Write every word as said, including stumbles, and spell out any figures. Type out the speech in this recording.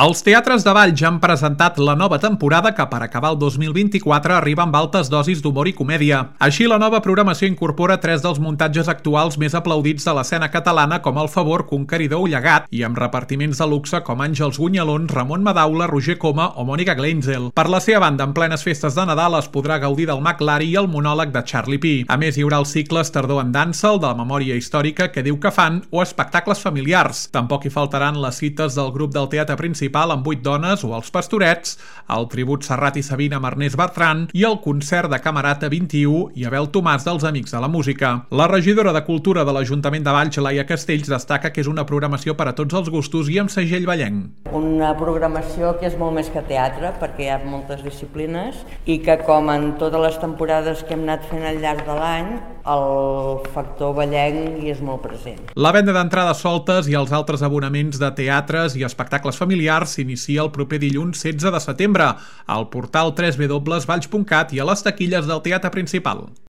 Els teatres de Valls ja han presentat la nova temporada que per acabar el dos mil vint-i-quatre arriba amb altes dosis d'humor i comèdia. Així, la nova programació incorpora tres dels muntatges actuals més aplaudits de l'escena catalana com El Favor, Conqueridor o Llegat, i amb repartiments de luxe com Àngels Gunyalons, Ramon Madaula, Roger Coma o Mònica Gleinzel. Per la seva banda, en plenes festes de Nadal es podrà gaudir del McLari i el monòleg de Charlie Pi. A més, hi haurà els cicles Tardor en dansa, el de la memòria històrica que diu que fan, o espectacles familiars. Tampoc hi faltaran les cites del grup del teatre principal amb vuit dones o els Pastorets, el tribut Serrat i Sabina amb Ernest Bertran i el concert de Camerata vint-i-u i Abel Tomàs dels Amics de la Música. La regidora de Cultura de l'Ajuntament de Valls, Laia Castells, destaca que és una programació per a tots els gustos i amb segell vallenc. Una programació que és molt més que teatre, perquè hi ha moltes disciplines i que, com en totes les temporades que hem anat fent al llarg de l'any, el factor vallenc hi és molt present. La venda d'entrades soltes i els altres abonaments de teatres i espectacles familiars s'inicia el proper dilluns setze de setembre al portal w w w punt valls punt cat i a les taquilles del teatre principal.